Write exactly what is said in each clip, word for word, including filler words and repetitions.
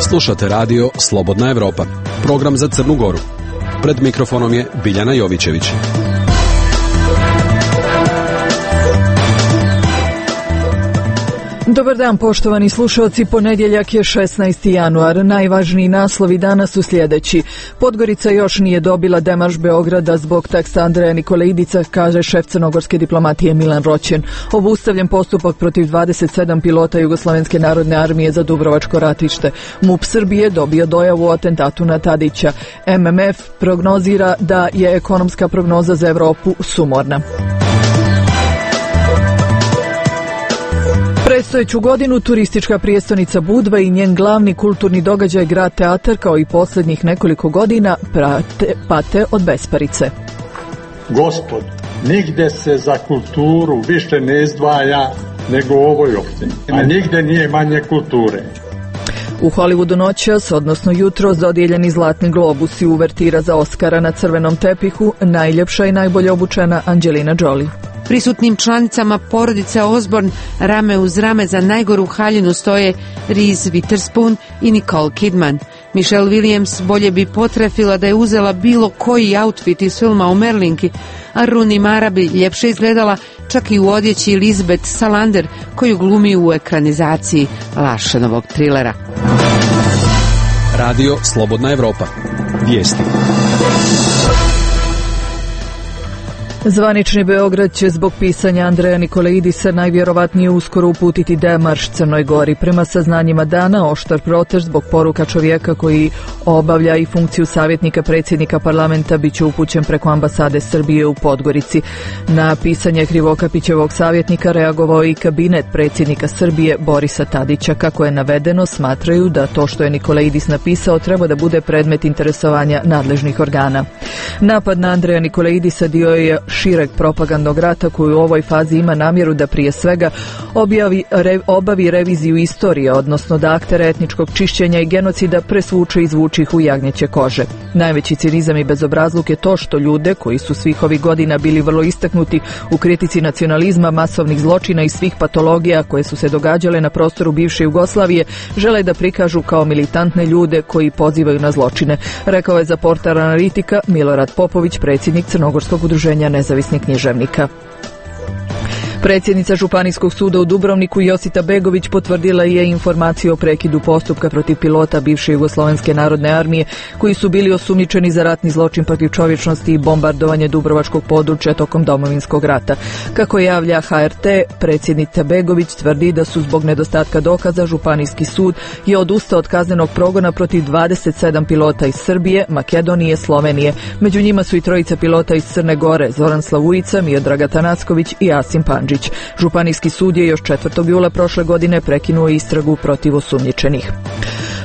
Slušate radio Slobodna Evropa, program za Crnu Goru. Pred mikrofonom je Biljana Jovićević. Dobar dan, poštovani slušalci. Ponedjeljak je šesnaesti januar. Najvažniji naslovi danas su sljedeći. Podgorica još nije dobila demarš Beograda zbog teksta Andreja Nikolaidica, kaže šef crnogorske diplomatije Milan Roćen. Obustavljen postupak protiv dvadeset sedam pilota Jugoslovenske narodne armije za Dubrovačko ratište. MUP Srbije dobio dojavu o atentatu na Tadića. M M F prognozira da je ekonomska prognoza za Evropu sumorna. Predstojeću godinu turistička prijestonica Budva i njen glavni kulturni događaj Grad teatar kao i posljednjih nekoliko godina prate, pate od besparice. Gospod, nigde se za kulturu više ne izdvaja nego u ovoj opštini, a nigde nije manje kulture. U Hollywoodu noćas, odnosno jutro, dodijeljeni Zlatni globus i uvertira za Oskara na crvenom tepihu, najljepša i najbolje obučena Angelina Jolie. Prisutnim članicama porodice Osborne rame uz rame za najgoru haljinu stoje Reese Witherspoon i Nicole Kidman. Michelle Williams bolje bi potrefila da je uzela bilo koji outfit iz filma o Merlinki, a Rooney Mara bi ljepše izgledala čak i u odjeći Elizabeth Salander koju glumi u ekranizaciji Larsenovog trilera. Radio Slobodna Evropa. Vijesti. Zvanični Beograd će zbog pisanja Andreja Nikolaidisa najvjerovatnije uskoro uputiti demarš Crnoj Gori. Prema saznanjima dana, oštar protest zbog poruka čovjeka koji obavlja i funkciju savjetnika predsjednika parlamenta bit će upućen preko ambasade Srbije u Podgorici. Na pisanje Krivokapićevog savjetnika reagovao i kabinet predsjednika Srbije Borisa Tadića. Kako je navedeno, smatraju da to što je Nikolaidis napisao treba da bude predmet interesovanja nadležnih organa. Napad na Andreja Nikolaidisa dio je šireg propagandnog rata koji u ovoj fazi ima namjeru da prije svega objavi, re, obavi reviziju istorije, odnosno da aktere etničkog čišćenja i genocida presvuče i izvuči ih u jagnjeće kože. Najveći cinizam i bezobrazluk je to što ljude koji su svih ovih godina bili vrlo istaknuti u kritici nacionalizma, masovnih zločina i svih patologija koje su se događale na prostoru bivše Jugoslavije žele da prikažu kao militantne ljude koji pozivaju na zločine, rekao je za portal Analitika Milorad Popović, predsjednik Crnogorskog udruženja nezavisnih književnika. Predsjednica Županijskog suda u Dubrovniku Josita Begović potvrdila je informaciju o prekidu postupka protiv pilota bivše Jugoslovenske narodne armije koji su bili osumnjičeni za ratni zločin protiv čovječnosti i bombardovanje dubrovačkog područja tokom Domovinskog rata. Kako javlja H R T, predsjednica Begović tvrdi da su zbog nedostatka dokaza Županijski sud je odustao od kaznenog progona protiv dvadeset sedam pilota iz Srbije, Makedonije, Slovenije. Među njima su i trojica pilota iz Crne Gore, Zoran Slavujica, Miodrag Tanacković i Asim Pandžić. Županijski sud je još četvrtog jula prošle godine prekinuo istragu protiv osumnjičenih.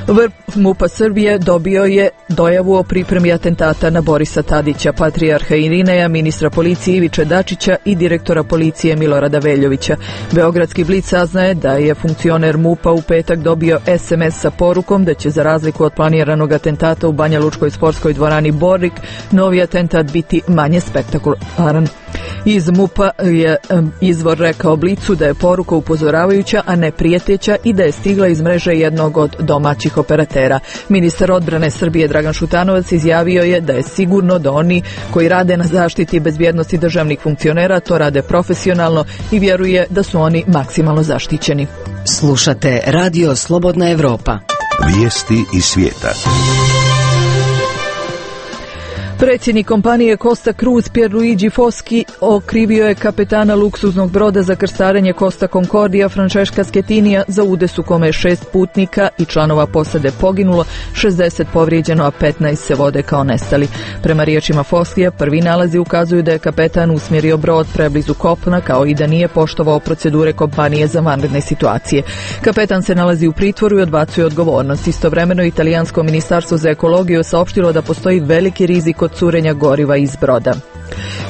Vrh MUP-a Srbije dobio je dojavu o pripremi atentata na Borisa Tadića, patrijarha Irineja, ministra policije Iviče Dačića i direktora policije Milorada Veljovića. Beogradski blic saznaje da je funkcioner MUP-a u petak dobio es em es sa porukom da će za razliku od planiranog atentata u Banja Lučkoj sportskoj dvorani Borik, novi atentat biti manje spektakularan. Iz MUP-a je izvor rekao Blicu da je poruka upozoravajuća, a ne prijeteća i da je stigla iz mreže jednog od domaćih operatera. Ministar odbrane Srbije Dragan Šutanovac izjavio je da je sigurno da oni koji rade na zaštiti bezbjednosti državnih funkcionera to rade profesionalno i vjeruje da su oni maksimalno zaštićeni. Slušate Radio Slobodna Evropa. Vijesti iz svijeta. Predsjednik kompanije Costa Cruise Pierluigi Foschi okrivio je kapetana luksuznog broda za krstarenje Costa Concordia Francesca Schettinija za udes u kome je šest putnika i članova posade poginulo, šezdeset povrijeđeno, a petnaest se vode kao nestali. Prema riječima Foschija, prvi nalazi ukazuju da je kapetan usmjerio brod preblizu kopna kao i da nije poštovao procedure kompanije za vanredne situacije. Kapetan se nalazi u pritvoru i odbacuje odgovornost. Istovremeno, italijansko ministarstvo za ekologiju saopštilo da postoji veliki rizik od curenja goriva iz broda.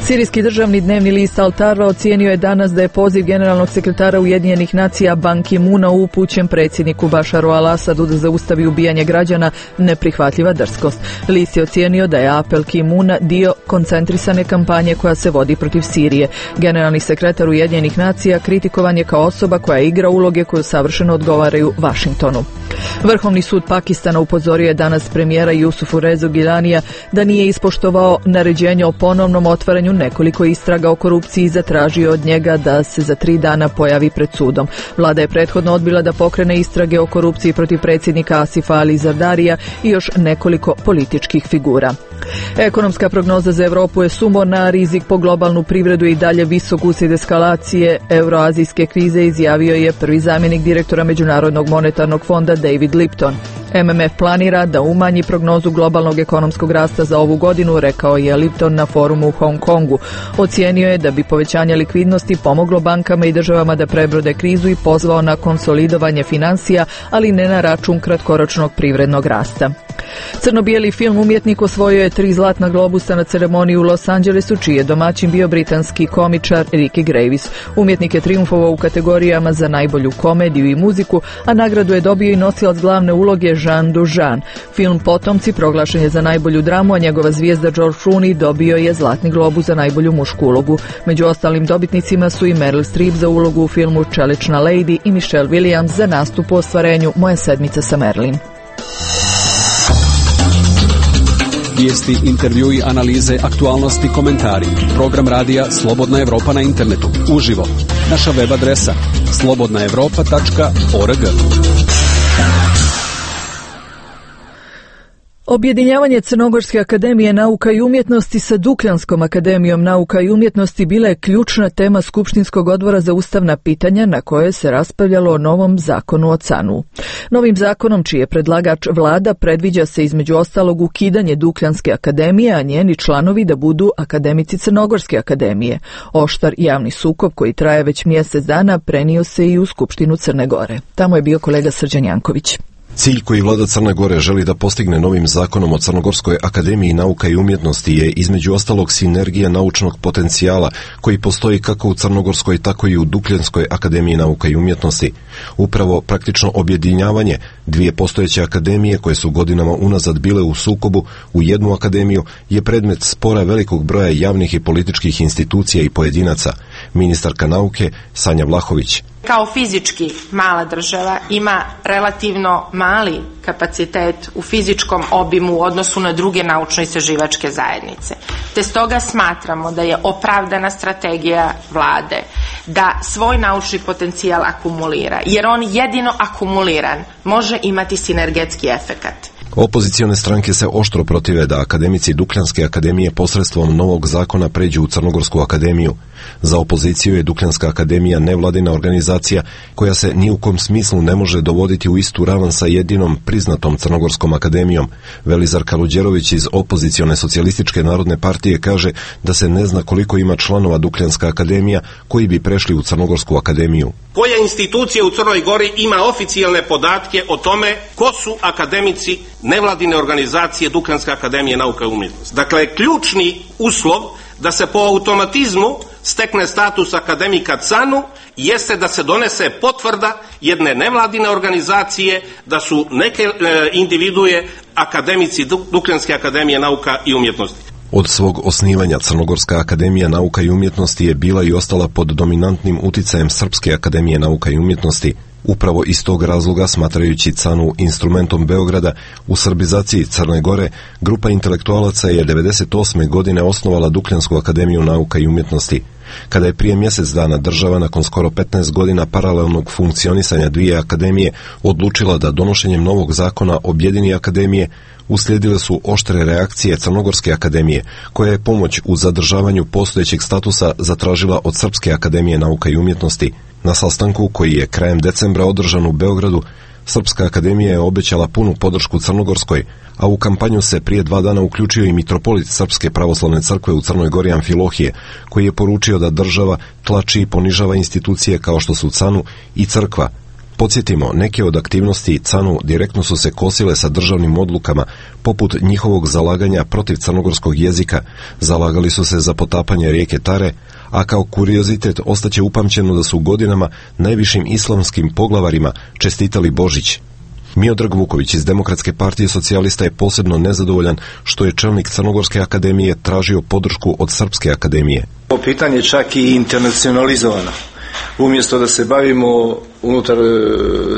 Sirijski državni dnevni list Al-Tarra ocijenio je danas da je poziv generalnog sekretara Ujedinjenih nacija Ban Ki-muna upućen predsjedniku Bašaru al-Asadu da zaustavi ubijanje građana neprihvatljiva drskost. List je ocijenio da je apel Ki-muna dio koncentrisane kampanje koja se vodi protiv Sirije. Generalni sekretar Ujedinjenih nacija kritikovan je kao osoba koja igra uloge koje savršeno odgovaraju Vašingtonu. Vrhovni sud Pakistana upozorio je danas premijera Jusufu Rezu Gilanija da nije ispoštovao naređenje o ponovnom otvaranju nekoliko istraga o korupciji i zatražio od njega da se za tri dana pojavi pred sudom. Vlada je prethodno odbila da pokrene istrage o korupciji protiv predsjednika Asifa Ali Zardarija i još nekoliko političkih figura. Ekonomska prognoza za Europu je sumorna, rizik po globalnu privredu i dalje visok uslijed eskalacije euroazijske krize, izjavio je prvi zamjenik direktora Međunarodnog monetarnog fonda David Lipton. M M F planira da umanji prognozu globalnog ekonomskog rasta za ovu godinu, rekao je Lipton na forumu u Hong Kongu. Ocijenio je da bi povećanje likvidnosti pomoglo bankama i državama da prebrode krizu i pozvao na konsolidovanje financija, ali ne na račun kratkoročnog privrednog rasta. Crno-bijeli film Umjetnik osvojio je tri zlatna globusa na ceremoniji u Los Angelesu, čiji je domaćin bio britanski komičar Ricky Gervais. Umjetnik je trijumfovao u kategorijama za najbolju komediju i muziku, a nagradu je dobio i nosilac glavne uloge Jean Dujardin. Film Potomci proglašen je za najbolju dramu, a njegova zvijezda George Clooney dobio je zlatni globus za najbolju mušku ulogu. Među ostalim dobitnicima su i Meryl Streep za ulogu u filmu Čelična lady i Michelle Williams za nastup u ostvarenju Moja sedmica sa Marilyn. Vijesti, intervjui, analize, aktualnosti, komentari. Program radija Slobodna Evropa na internetu. Uživo. Naša web adresa slobodna evropa tačka org. Objedinjavanje Crnogorske akademije nauka i umjetnosti sa Dukljanskom akademijom nauka i umjetnosti bila je ključna tema Skupštinskog odbora za ustavna pitanja na koje se raspravljalo o novom zakonu o C A N-u. Novim zakonom, čiji je predlagač vlada, predviđa se između ostalog ukidanje Dukljanske akademije, a njeni članovi da budu akademici Crnogorske akademije. Oštar javni sukob koji traje već mjesec dana prenio se i u Skupštinu Crne Gore. Tamo je bio kolega Srđan Janković. Cilj koji vlada Crne Gore želi da postigne novim zakonom o Crnogorskoj akademiji nauka i umjetnosti je između ostalog sinergija naučnog potencijala koji postoji kako u Crnogorskoj tako i u Dukljanskoj akademiji nauka i umjetnosti. Upravo praktično objedinjavanje dvije postojeće akademije koje su godinama unazad bile u sukobu u jednu akademiju je predmet spora velikog broja javnih i političkih institucija i pojedinaca. Ministarka nauke Sanja Vlahović. Kao fizički mala država ima relativno mali kapacitet u fizičkom obimu u odnosu na druge naučno-istraživačke zajednice. Te stoga smatramo da je opravdana strategija vlade da svoj naučni potencijal akumulira, jer on jedino akumuliran može imati sinergetski efekat. Opozicione stranke se oštro protive da akademici Dukljanske akademije posredstvom novog zakona pređu u Crnogorsku akademiju. Za opoziciju je Dukljanska akademija nevladina organizacija koja se ni u kom smislu ne može dovoditi u istu ravan sa jedinom priznatom Crnogorskom akademijom. Velizar Kaluđerović iz opozicione socijalističke narodne partije kaže da se ne zna koliko ima članova Dukljanska akademija koji bi prešli u Crnogorsku akademiju. Koja institucija u Crnoj Gori ima oficijalne podatke o tome ko su akademici nevladine organizacije Dukljanska akademija nauka i umjetnosti? Dakle, ključni uslov da se po automatizmu stekne status akademika C A N-u jeste da se donese potvrda jedne nevladine organizacije da su neke e, individue akademici Dukljanske akademije nauka i umjetnosti. Od svog osnivanja Crnogorska akademija nauka i umjetnosti je bila i ostala pod dominantnim uticajem Srpske akademije nauka i umjetnosti. Upravo iz tog razloga, smatrajući C A N-u instrumentom Beograda u srbizaciji Crne Gore, grupa intelektualaca je devedeset osme godine osnovala Dukljansku akademiju nauka i umjetnosti. Kada je prije mjesec dana država nakon skoro petnaest godina paralelnog funkcionisanja dvije akademije odlučila da donošenjem novog zakona objedini akademije, uslijedile su oštre reakcije Crnogorske akademije, koja je pomoć u zadržavanju postojećeg statusa zatražila od Srpske akademije nauka i umjetnosti. Na sastanku koji je krajem decembra održan u Beogradu, Srpska akademija je obećala punu podršku Crnogorskoj, a u kampanju se prije dva dana uključio i mitropolit Srpske pravoslavne crkve u Crnoj Gori Amfilohije, koji je poručio da država tlači i ponižava institucije kao što su C A N-u i crkva. Podsjetimo, neke od aktivnosti C A N-u direktno su se kosile sa državnim odlukama, poput njihovog zalaganja protiv crnogorskog jezika, zalagali su se za potapanje rijeke Tare, a kao kuriozitet ostaće upamćeno da su godinama najvišim islamskim poglavarima čestitali Božić. Miodrag Vuković iz Demokratske partije socijalista je posebno nezadovoljan što je čelnik Crnogorske akademije tražio podršku od Srpske akademije. Ovo pitanje čak i internacionalizovano. Umjesto da se bavimo unutar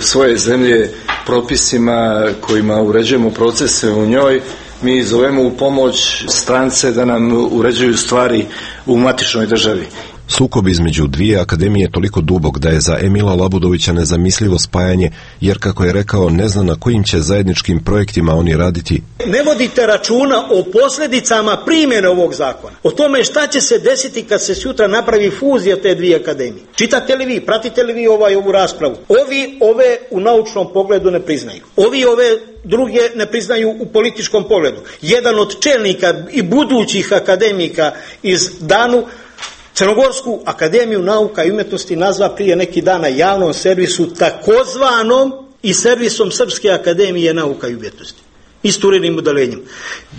svoje zemlje propisima kojima uređujemo procese u njoj, mi zovemo u pomoć strance da nam uređuju stvari u matičnoj državi. Sukob između dvije akademije je toliko dubok da je za Emila Labudovića nezamislivo spajanje, jer kako je rekao, ne zna na kojim će zajedničkim projektima oni raditi. Ne vodite računa o posljedicama primjene ovog zakona, o tome šta će se desiti kad se sutra napravi fuzija te dvije akademije. Čitate li vi, pratite li vi ovaj, ovu raspravu? Ovi ove u naučnom pogledu ne priznaju. Ovi ove druge ne priznaju u političkom pogledu. Jedan od čelnika i budućih akademika iz Danu Crnogorsku akademiju nauka i umjetnosti nazva prije neki dan na javnom servisu takozvanom i servisom Srpske akademije nauka i umjetnosti. Isturenim udalenjem.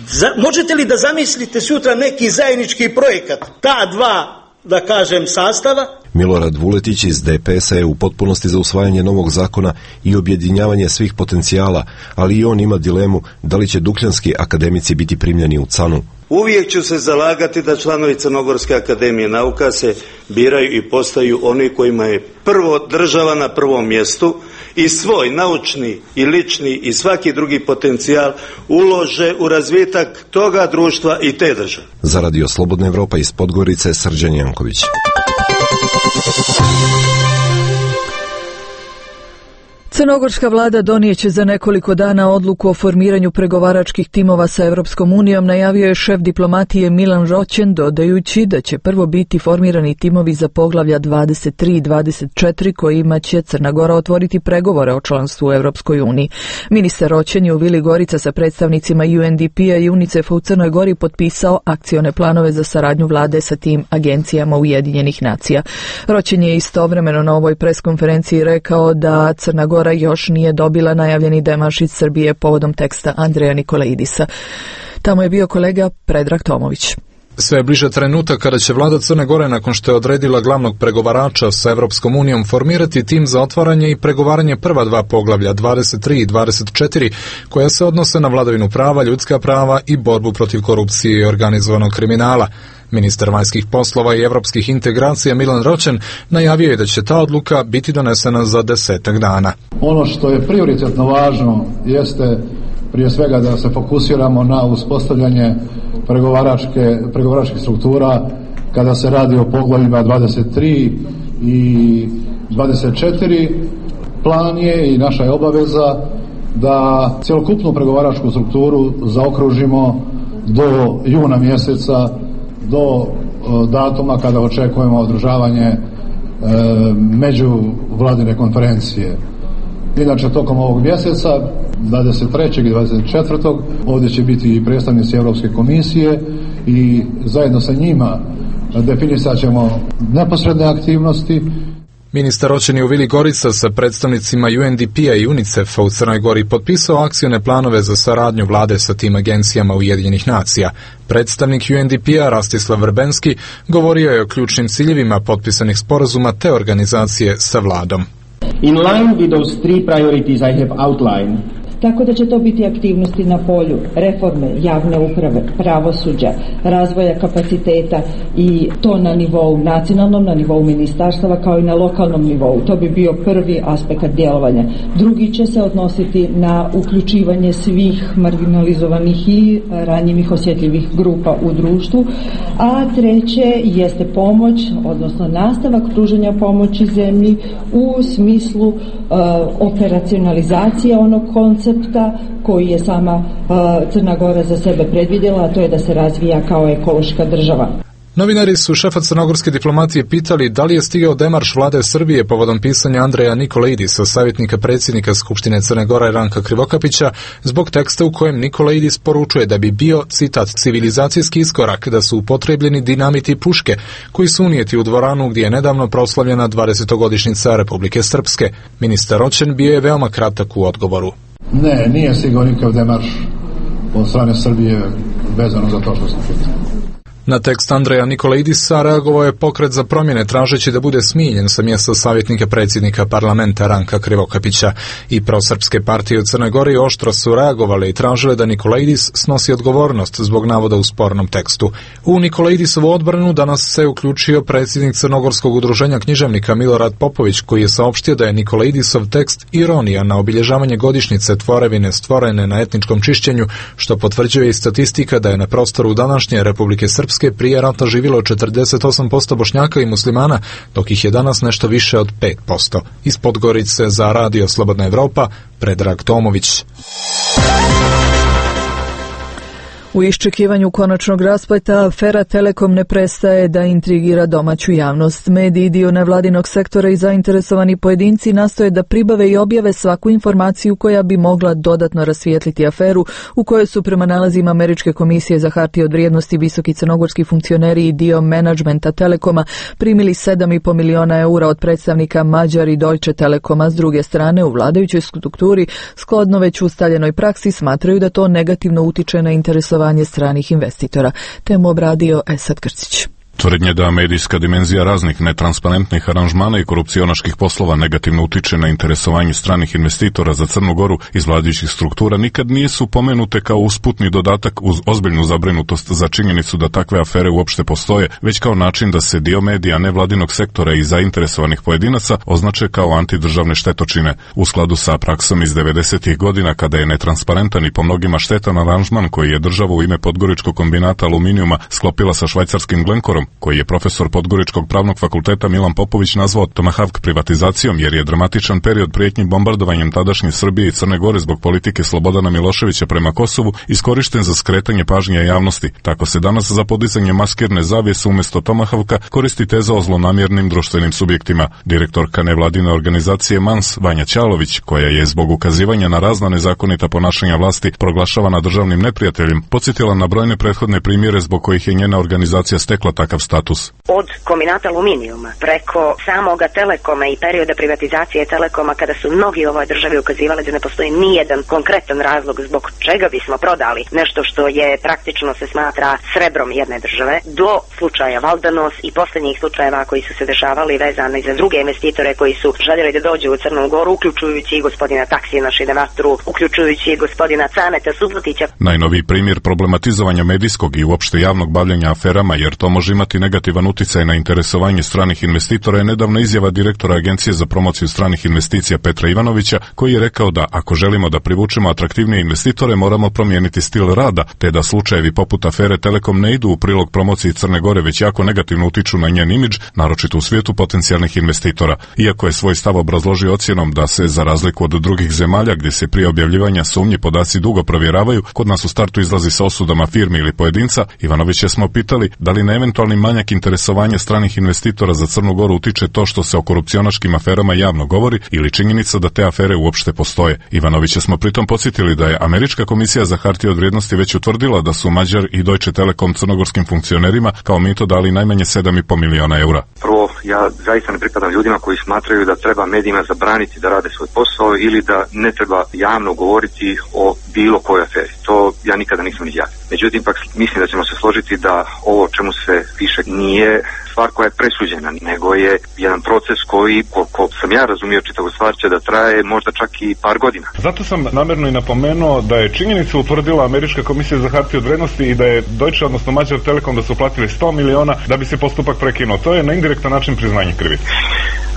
Za, možete li da zamislite sutra neki zajednički projekat ta dva, da kažem, sastava? Milorad Vuletić iz D P S-a je u potpunosti za usvajanje novog zakona i objedinjavanje svih potencijala, ali i on ima dilemu da li će dukljanski akademici biti primljeni u C A N-u. Uvijek ću se zalagati da članovi Crnogorske akademije nauka se biraju i postaju oni kojima je prvo država na prvom mjestu i svoj naučni i lični i svaki drugi potencijal ulože u razvitak toga društva i te države. Za Radio Slobodna Evropa iz Podgorice, Srđan Janković. Crnogorska vlada donijeće za nekoliko dana odluku o formiranju pregovaračkih timova sa Evropskom unijom, najavio je šef diplomatije Milan Roćen, dodajući da će prvo biti formirani timovi za poglavlja dvadeset tri i dvadeset četiri kojima će Crna Gora otvoriti pregovore o članstvu u Evropskoj uniji. Ministar Roćen je u Vili Gorica sa predstavnicima U N D P-a i UNICEF-a u Crnoj Gori potpisao akcione planove za saradnju vlade sa tim agencijama Ujedinjenih nacija. Roćen je istovremeno na ovoj preskonferenciji rekao da Crna Gora još nije dobila najavljeni demarš iz Srbije povodom teksta Andreja Nikolaidisa. Tamo je bio kolega Predrag Tomović. Sve je bliže trenutak kada će vlada Crne Gore, nakon što je odredila glavnog pregovarača sa Evropskom unijom, formirati tim za otvaranje i pregovaranje prva dva poglavlja dvadeset tri i dvadeset četiri koja se odnose na vladavinu prava, ljudska prava i borbu protiv korupcije i organizovanog kriminala. Ministar vanjskih poslova i evropskih integracija Milan Roćen najavio je da će ta odluka biti donesena za desetak dana. Ono što je prioritetno važno jeste prije svega da se fokusiramo na uspostavljanje pregovaračke, pregovaračkih struktura kada se radi o poglavljima dvadeset tri i dvadeset četiri. Plan je i naša je obaveza da cjelokupnu pregovaračku strukturu zaokružimo do juna mjeseca, do datuma kada očekujemo održavanje e, međuvladine konferencije. Inače, tokom ovog mjeseca, dvadeset trećeg i dvadeset četvrtog ovdje će biti i predstavnici Europske komisije i zajedno sa njima definisat ćemo neposredne aktivnosti. Ministar Roćen je u Vili Gorica sa predstavnicima U N D P-a i UNICEF-a u Crnoj Gori potpisao akcione planove za saradnju vlade sa tim agencijama Ujedinjenih nacija. Predstavnik U N D P-a Rastislav Vrbenski govorio je o ključnim ciljevima potpisanih sporazuma te organizacije sa vladom. In line with those three priorities I have outlined, Tako da će to biti aktivnosti na polju reforme javne uprave, pravosuđa, razvoja kapaciteta i to na nivou nacionalnom, na nivou ministarstava kao i na lokalnom nivou. To bi bio prvi aspekt djelovanja. Drugi će se odnositi na uključivanje svih marginalizovanih i ranjivih osjetljivih grupa u društvu, a treće jeste pomoć, odnosno nastavak pružanja pomoći zemlji u smislu uh, operacionalizacije onog koncepta koji je sama uh, Crna Gora za sebe predvidjela, a to je da se razvija kao ekološka država. Novinari su šefa crnogorske diplomatije pitali da li je stigao demarš vlade Srbije povodom pisanja Andreja Nikolaidisa, savjetnika predsjednika Skupštine Crne Gore Ranka Krivokapića, zbog teksta u kojem Nikolaidis poručuje da bi bio, citat, civilizacijski iskorak da su upotrebljeni dinamiti i puške koji su unijeti u dvoranu gdje je nedavno proslavljena dvadesetogodišnjica Republike Srpske. Ministar Roćen bio je veoma kratak u odgovoru. Ne, nije stigao nikakav demarš od strane Srbije vezano za to što sam pitao. Na tekst Andreja Nikolaidisa reagovao je Pokret za promjene tražeći da bude smijenjen sa mjesta savjetnika predsjednika parlamenta Ranka Krivokapića. I prosrpske partije u Crnoj Gori oštro su reagovale i tražile da Nikolaidis snosi odgovornost zbog navoda u spornom tekstu. U Nikolaidisovu odbranu danas se uključio predsjednik Crnogorskog udruženja književnika Milorad Popović, koji je saopštio da je Nikolaidisov tekst ironija na obilježavanje godišnjice tvorevine stvorene na etničkom čišćenju, što potvrđuje i statistika da je na prostoru današnje Republike Srpske prije rata živjelo četrdeset osam posto Bošnjaka i muslimana, dok ih je danas nešto više od pet posto. Iz Podgorice za Radio Slobodna Evropa, Predrag Tomović. U iščekivanju konačnog raspleta, afera Telekom ne prestaje da intrigira domaću javnost. Mediji, dio nevladinog sektora i zainteresovani pojedinci nastoje da pribave i objave svaku informaciju koja bi mogla dodatno rasvijetliti aferu u kojoj su prema nalazima Američke komisije za hartije od vrijednosti visoki crnogorski funkcioneri i dio menadžmenta Telekoma primili sedam i po miliona eura od predstavnika Mađar i Deutsche Telekoma. S druge strane, u vladajućoj strukturi, skladno već ustaljenoj praksi, smatraju da to negativno utiče na interesovanje stranih investitora. Temu obradio Esad Krcić. Tvrdnje da medijska dimenzija raznih netransparentnih aranžmana i korupcionaških poslova negativno utiče na interesovanje stranih investitora za Crnu Goru iz vladajućih struktura nikad nisu pomenute kao usputni dodatak uz ozbiljnu zabrinutost za činjenicu da takve afere uopšte postoje, već kao način da se dio medija nevladinog sektora i zainteresovanih pojedinaca označe kao antidržavne štetočine. U skladu sa praksom iz devedesetih godina, kada je netransparentan i po mnogima štetan aranžman koji je država u ime Podgoričkog kombinata aluminijuma sklopila sa švajcarskim Glencorom, koji je profesor Podgoričkog pravnog fakulteta Milan Popović nazvao Tomahawk privatizacijom, jer je dramatičan period prijetnji bombardovanjem tadašnje Srbije i Crne Gore zbog politike Slobodana Miloševića prema Kosovu iskorišten za skretanje pažnje javnosti. Tako se danas za podizanje maskirne zavjese umjesto Tomahawka koristi teza o zlonamjernim društvenim subjektima. Direktorka nevladine organizacije Mans, Vanja Ćalović, koja je zbog ukazivanja na razna nezakonita ponašanja vlasti proglašavana državnim neprijateljem, podsjetila na brojne prethodne primjere zbog kojih je njena organizacija stekla takav status. Od kombinata aluminijuma preko samoga Telekoma i perioda privatizacije Telekoma, kada su mnogi u ovoj državi ukazivali da ne postoji nijedan konkretan razlog zbog čega bismo prodali nešto što je praktično se smatra srebrom jedne države, do slučaja Valdanos i posljednjih slučajeva koji su se dešavali vezani za druge investitore koji su željeli da dođu u Crnu Goru, uključujući i gospodina Taksina Šidevatru, uključujući i gospodina Caneta Subotića. Najnoviji primjer problematizovanja medijskog i uopšte javnog bavljenja aferama, jer to može imati negativan uticaj na interesovanje stranih investitora, je nedavna izjava direktora Agencije za promociju stranih investicija Petra Ivanovića, koji je rekao da ako želimo da privučemo atraktivnije investitore, moramo promijeniti stil rada, te da slučajevi poput afere Telekom ne idu u prilog promociji Crne Gore, već jako negativno utiču na njen imidž, naročito u svijetu potencijalnih investitora. Iako je svoj stav obrazložio ocjenom da se, za razliku od drugih zemalja gdje se prije objavljivanja sumnji podaci dugo provjeravaju, kod nas u startu izlazi sa osudama firmi ili pojedinca, Ivanovića smo pitali da li na eventualni manjak interesovanja stranih investitora za Crnu Goru utiče to što se o korupcionaškim aferama javno govori ili činjenica da te afere uopšte postoje. Ivanovića smo pritom podsjetili da je Američka komisija za hartije od vrijednosti već utvrdila da su Mađar i Deutsche Telekom crnogorskim funkcionerima kao mito dali najmanje sedam i po miliona eura. Prvo, ja zaista ne pripadam ljudima koji smatraju da treba medijima zabraniti da rade svoj posao ili da ne treba javno govoriti o bilo kojoj aferi. To ja nikada nisam izjavio. Međutim, pak mislim da ćemo se složiti da ovo o čemu se piše nije stvar koja je presuđena, nego je jedan proces koji, koliko sam ja razumio čitavu stvar, će da traje možda čak i par godina. Zato sam namjerno i napomenuo da je činjenica utvrdila Američka komisija za hartije od vrijednosti i da je Deutsche, odnosno Mađar Telekom, da su platili sto miliona da bi se postupak prekinuo. To je na indirektan način priznanje krivice.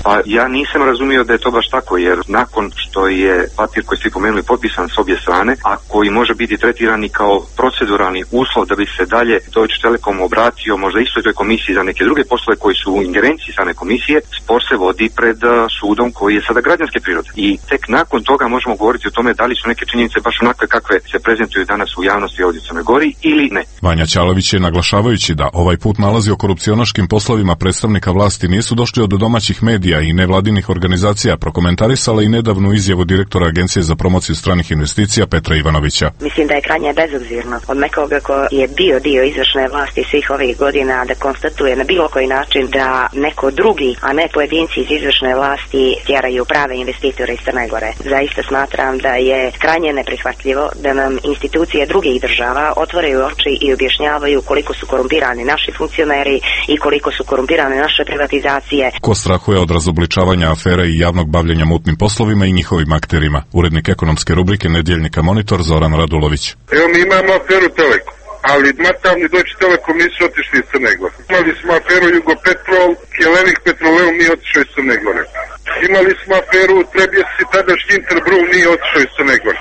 A ja nisam razumio da je to baš tako, jer nakon što je papir koji ste pomenuli potpisan s obje strane, a koji može biti tretiran i kao proceduralni uslov da bi se dalje Deutsche Telekom obratio možda istoj toj komisiji za neke druge poslove koji su u ingerenciji same komisije, spor se vodi pred sudom koji je sada građanske prirode. I tek nakon toga možemo govoriti o tome da li su neke činjenice baš onakve kakve se prezentuju danas u javnosti ovdje u Crnoj Gori ili ne. Vanja Ćalović je, naglašavajući da ovaj put nalazi o korupcionaškim poslovima predstavnika vlasti nisu došli od domaćih medija i nevladinih organizacija, prokomentarisala i nedavnu izjavu direktora Agencije za promociju stranih investicija Petra Ivanovića. Mislim da je krajnje bezobzirno od nekoga ko je bio dio izvršne vlasti svih ovih godina da konstatuje na bilo koji način da neko drugi, a ne pojedinci iz izvršne vlasti tjeraju prave investitore iz Crne Gore. Zaista smatram da je krajnje neprihvatljivo da nam institucije drugih država otvaraju oči i objašnjavaju koliko su korumpirani naši funkcioneri i koliko su korumpirane naše privatizacije. Ko strahuje od razobličavanja afera i javnog bavljenja mutnim poslovima i njihovim akterima? Urednik ekonomske rubrike Nedjeljnika Monitor Zoran Radulović. Evo mi imamo aferu Telekom, ali matavni Deutsche Telekom nisu otišli iz Crne Gore. Imali smo aferu Jugopetrol, Helenik Petroleum nije otišao iz Crne Gore. Imali smo aferu Trebjesi, tadašnji Interbru nije otišao iz Crne Gore.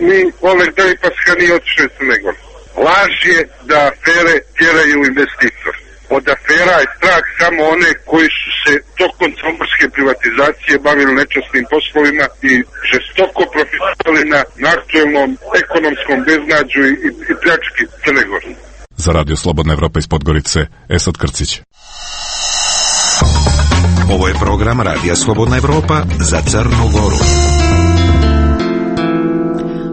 Ni Oleg Delipaska nije otišao iz Crne Gore. Laž je da afere tjeraju investitor. Od afera je strah samo one koji su se tokom crnogorske privatizacije bavili nečasnim poslovima i žestoko profitirali na, na aktuelnom ekonomskom beznađu i, i, i pljački Crne Gore. Za Radio Slobodna Evropa iz Podgorice, Esad Krcić. Ovo je program Radija Slobodna Evropa za Crnu Goru.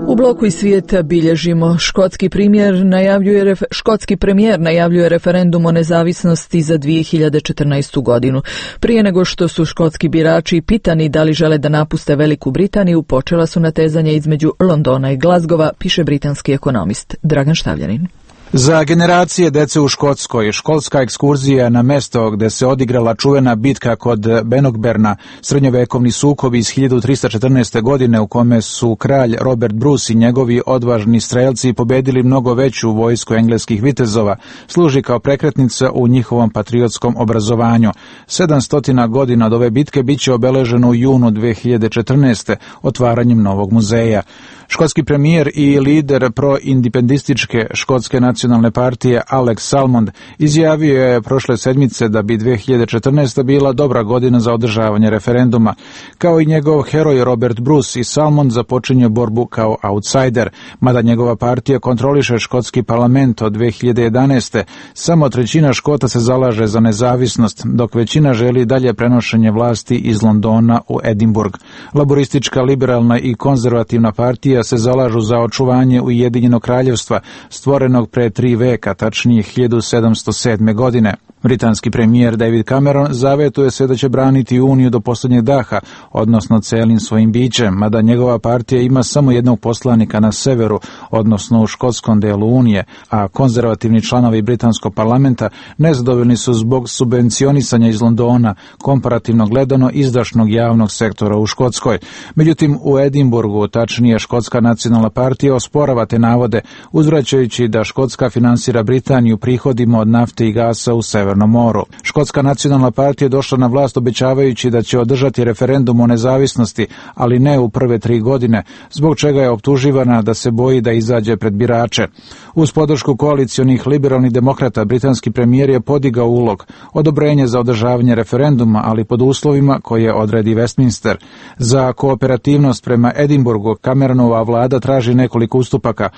U bloku iz svijeta bilježimo škotski premijer najavljuje škotski premijer najavljuje referendum o nezavisnosti za dvije hiljade četrnaestu godinu. Prije nego što su škotski birači pitani da li žele da napuste Veliku Britaniju, počela su natezanja između Londona i Glasgowa, piše britanski ekonomist Dragan Štavljanin. Za generacije dece u Škotskoj, školska ekskurzija na mesto gde se odigrala čuvena bitka kod Bannockburna, srednjovekovni sukob iz hiljadu trista četrnaeste. godine u kome su kralj Robert Bruce i njegovi odvažni strelci pobedili mnogo veću vojsku engleskih vitezova, služi kao prekretnica u njihovom patriotskom obrazovanju. sedamsto godina od ove bitke biće obeleženo u junu dve hiljade četrnaeste. otvaranjem novog muzeja. Škotski premijer i lider proindependističke škotske nacionalne partije Alex Salmond izjavio je prošle sedmice da bi dve hiljade četrnaesta. bila dobra godina za održavanje referenduma. Kao i njegov heroj Robert Bruce, i Salmond započinje borbu kao outsider, mada njegova partija kontroliše škotski parlament od dve hiljade jedanaeste. Samo trećina Škota se zalaže za nezavisnost, dok većina želi dalje prenošenje vlasti iz Londona u Edinburgh. Laboristička, liberalna i konzervativna partija se zalažu za očuvanje Ujedinjenog kraljevstva, stvorenog pre tri veka, tačnije hiljadu sedamsto sedme. godine. Britanski premijer David Cameron zavetuje se da će braniti Uniju do posljednjeg daha, odnosno celim svojim bićem, mada njegova partija ima samo jednog poslanika na severu, odnosno u škotskom delu Unije, a konzervativni članovi britanskog parlamenta nezadovoljni su zbog subvencionisanja iz Londona, komparativno gledano izdašnog javnog sektora u Škotskoj. Međutim, u Edinburgu, tačnije Škotska nacionalna partija, osporava te navode, uzvraćajući da Škotska finansira Britaniju prihodima od nafte i gasa u severnom moru. Škotska nacionalna partija je došla na vlast obećavajući da će održati referendum o nezavisnosti, ali ne u prve tri godine, zbog čega je optuživana da se boji da izađe pred birače. Uz podršku koalicionih liberalnih demokrata, britanski premijer je podigao ulog, odobrenje za održavanje referenduma, ali pod uslovima koje odredi Westminster. Za kooperativnost prema Edinburgu Cameronova vlada traži nekoliko ustupaka.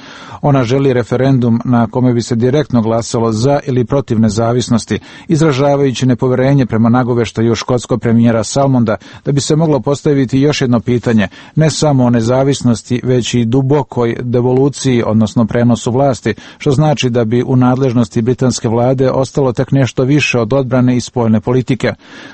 Ona želi referendum na kome bi se direktno glasalo za ili protiv nezavisnosti, izražavajući nepoverenje prema nagoveštaju škotskog premijera Salmonda da bi se moglo postaviti još jedno pitanje, ne samo o nezavisnosti, već i dubokoj devoluciji, odnosno prenosu vlasti, što znači da bi u nadležnosti britanske vlade ostalo tek nešto više od odbrane i spoljne politike.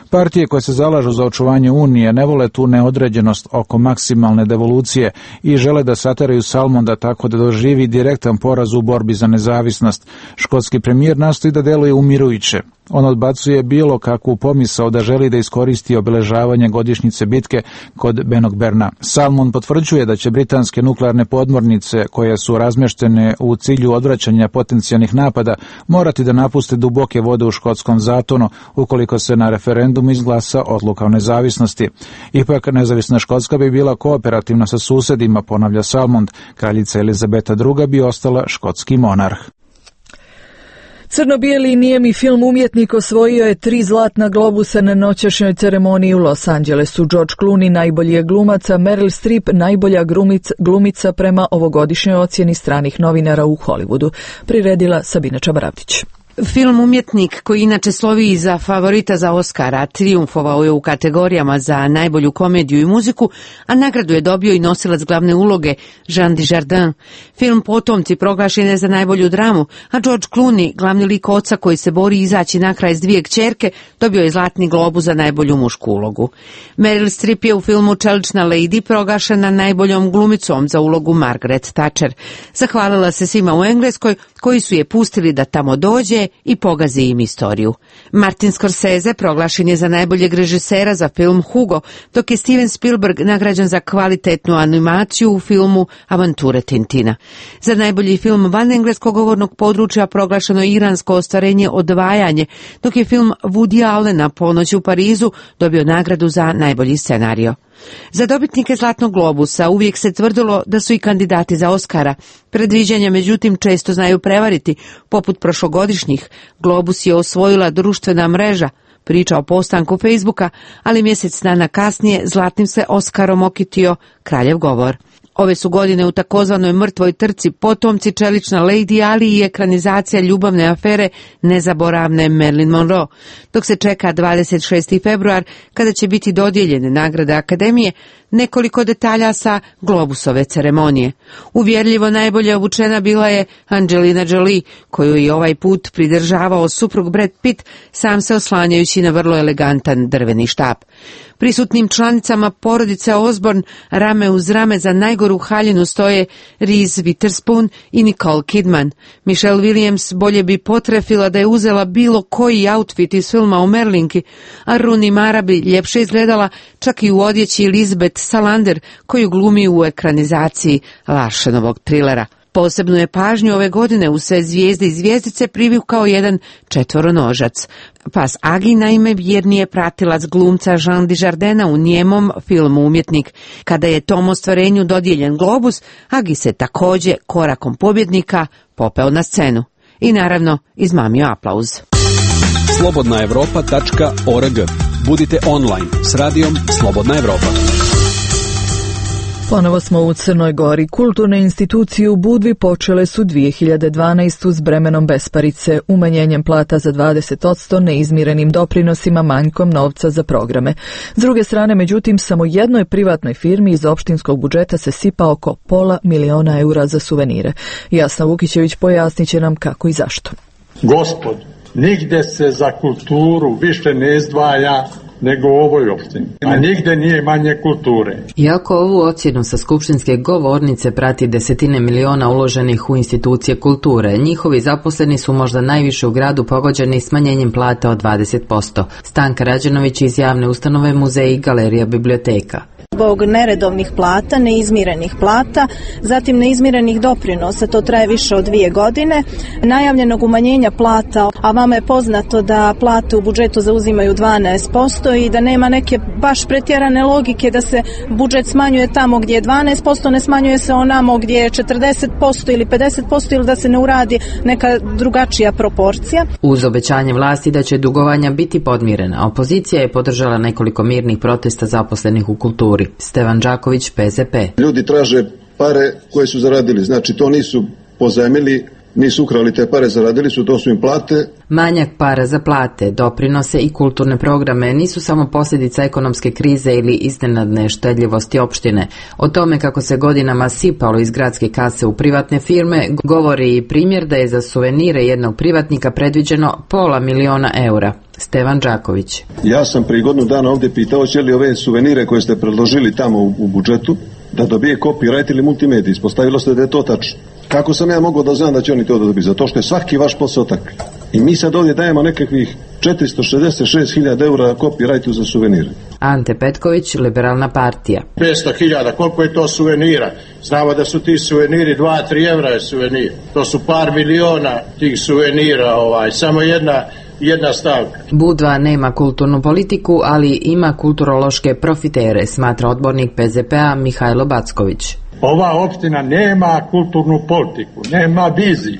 Partije koje se zalažu za očuvanje Unije ne vole tu neodređenost oko maksimalne devolucije i žele da sateraju Salmonda tako da doživi direktan poraz u borbi za nezavisnost. Škotski premijer nastoji da deluje umirujuće. On odbacuje bilo kakvu pomisao da želi da iskoristi obeležavanje godišnjice bitke kod Bannockburna. Salmond potvrđuje da će britanske nuklearne podmornice, koje su razmeštene u cilju odvraćanja potencijalnih napada, morati da napuste duboke vode u škotskom zatonu ukoliko se na referendumu izglasa odluka o nezavisnosti. Ipak, nezavisna Škotska bi bila kooperativna sa susedima, ponavlja Salmond. Kraljica Elizabeta druga bi ostala škotski monarh. Crno-bijeli nijemi film Umjetnik osvojio je tri zlatna globusa na noćašnjoj ceremoniji u Los Angelesu. George Clooney najbolji je glumac, a Meryl Streep najbolja glumica, glumica prema ovogodišnjoj ocjeni stranih novinara u Hollywoodu. Priredila Sabina Čabaravdić. Film Umjetnik, koji inače slovi za favorita za Oscara, trijumfovao je u kategorijama za najbolju komediju i muziku, a nagradu je dobio i nosilac glavne uloge Jean Dujardin. Film Potomci proglašen je za najbolju dramu, a George Clooney, glavni lik oca koji se bori izaći na kraj s dvije kćerke, dobio je zlatni globus za najbolju mušku ulogu. Meryl Streep je u filmu Čelična lady proglašena najboljom glumicom za ulogu Margaret Thatcher. Zahvalila se svima u Engleskoj koji su je pustili da tamo dođe i pogazi im istoriju. Martin Scorsese proglašen je za najboljeg režisera za film Hugo, dok je Steven Spielberg nagrađen za kvalitetnu animaciju u filmu Avanture Tintina. Za najbolji film van engleskog govornog područja proglašeno je iransko ostvarenje Odvajanje, dok je film Woody Allena Ponoć u Parizu dobio nagradu za najbolji scenario. Za dobitnike Zlatnog globusa uvijek se tvrdilo da su i kandidati za Oscara. Predviđanja međutim često znaju prevariti, poput prošlogodišnjih. Globus je osvojila društvena mreža, priča o postanku Facebooka, ali mjesec dana kasnije zlatnim se Oskarom okitio kraljev govor. Ove su godine u takozvanoj mrtvoj trci Potomci, Čelična lady, ali i ekranizacija ljubavne afere nezaboravne Marilyn Monroe, dok se čeka dvadeset šesti februar kada će biti dodijeljene nagrade Akademije. Nekoliko detalja sa globusove ceremonije. Uvjerljivo najbolje obučena bila je Angelina Jolie, koju je ovaj put pridržavao suprug Brad Pitt, sam se oslanjajući na vrlo elegantan drveni štap. Prisutnim članicama porodice Osborne rame uz rame za najgoru haljinu stoje Reese Witherspoon i Nicole Kidman. Michelle Williams bolje bi potrefila da je uzela bilo koji outfit iz filma o Merlinki, a Rooney Mara bi ljepše izgledala čak i u odjeći Elizabeth Salander, koju glumi u ekranizaciji Larsenovog trilera. Posebnu je pažnju ove godine u sve zvijezde i zvijezdice privukao jedan četvoronožac. Pas Agi naime vjernije pratilac glumca Jean Dujardina u njemom filmu Umjetnik. Kada je tom ostvarenju dodijeljen globus, Agi se također korakom pobjednika popeo na scenu. I naravno izmamio aplauz. slobodna evropa tačka org. Budite online s radijom Slobodna Evropa. Ponovo smo u Crnoj Gori. Kulturne institucije u Budvi počele su dvije hiljade dvanaeste. s bremenom besparice, umanjenjem plata za dvadeset posto, neizmirenim doprinosima, manjkom novca za programe. S druge strane, međutim, samo jednoj privatnoj firmi iz opštinskog budžeta se sipa oko pola miliona eura za suvenire. Jasna Vukićević pojasnit će nam kako i zašto. Gospod, nigde se za kulturu više ne izdvaja nego u ovoj opštini, a nigde nije manje kulture. Iako ovu ocjenu sa skupštinske govornice prati desetine miliona uloženih u institucije kulture, njihovi zaposleni su možda najviše u gradu pogođeni smanjenjem plata od dvadeset posto. Stanka Rađenović iz javne ustanove Muzej i Galerija Biblioteka. Zbog neredovnih plata, neizmirenih plata, zatim neizmirenih doprinosa, to traje više od dvije godine, najavljenog umanjenja plata, a vama je poznato da plate u budžetu zauzimaju dvanaest posto i da nema neke baš pretjerane logike da se budžet smanjuje tamo gdje je dvanaest posto, ne smanjuje se onamo gdje je četrdeset posto ili pedeset posto ili da se ne uradi neka drugačija proporcija. Uz obećanje vlasti da će dugovanja biti podmirena, opozicija je podržala nekoliko mirnih protesta zaposlenih u kulturi. Stevan Đaković, P Z P. Ljudi traže pare koje su zaradili, znači to nisu pozajmili, nisu ukrali te pare, zaradili su, to su im plate. Manjak para za plate, doprinose i kulturne programe nisu samo posljedica ekonomske krize ili iznenadne štedljivosti opštine. O tome kako se godinama sipalo iz gradske kase u privatne firme govori i primjer da je za suvenire jednog privatnika predviđeno pola miliona eura. Stevan Đaković. Ja sam prije godinu dana ovdje pitao će li ove suvenire koje ste predložili tamo u, u budžetu da dobije copyright ili multimedij. Ispostavilo se da je to tačno. Kako sam ja mogao da znam da će oni to dobiti? Zato što je svaki vaš posao tak. I mi sad ovdje dajemo nekakvih četiristo šezdeset šest hiljada eura copyrightu za suvenire. Ante Petković, Liberalna partija. petsto hiljada, koliko je to suvenira? Znamo da su ti suveniri dva do tri evra je suvenir. To su par miliona tih suvenira, ovaj, samo jedna jedna stavka. Budva nema kulturnu politiku, ali ima kulturološke profitere, smatra odbornik P Z P-a Mihajlo Backović. Ova opština nema kulturnu politiku, nema viziju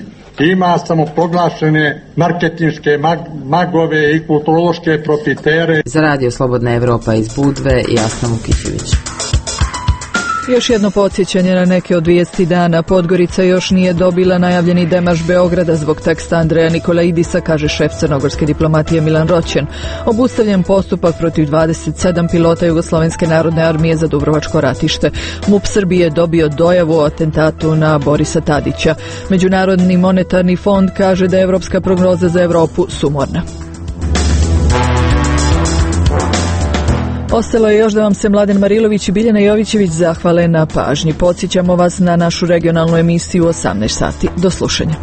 ima samoproglašene marketinške mag- magove i kulturološke profitere. Za radio Slobodna Evropa iz Budve, Jasna Vukićević. Još jedno podsjećanje na neke od vijesti dana. Podgorica još nije dobila najavljeni demarš Beograda zbog teksta Andreja Nikolaidisa, kaže šef crnogorske diplomatije Milan Roćen. Obustavljen postupak protiv dvadeset sedam pilota Jugoslovenske narodne armije za Dubrovačko ratište. MUP Srbije je dobio dojavu o atentatu na Borisa Tadića. Međunarodni monetarni fond kaže da je evropska prognoza za Evropu sumorna. Ostalo je još da vam se Mladen Marilović i Biljana Jovićević zahvale na pažnji. Podsjećamo vas na našu regionalnu emisiju u osamnaest sati. Do slušanja.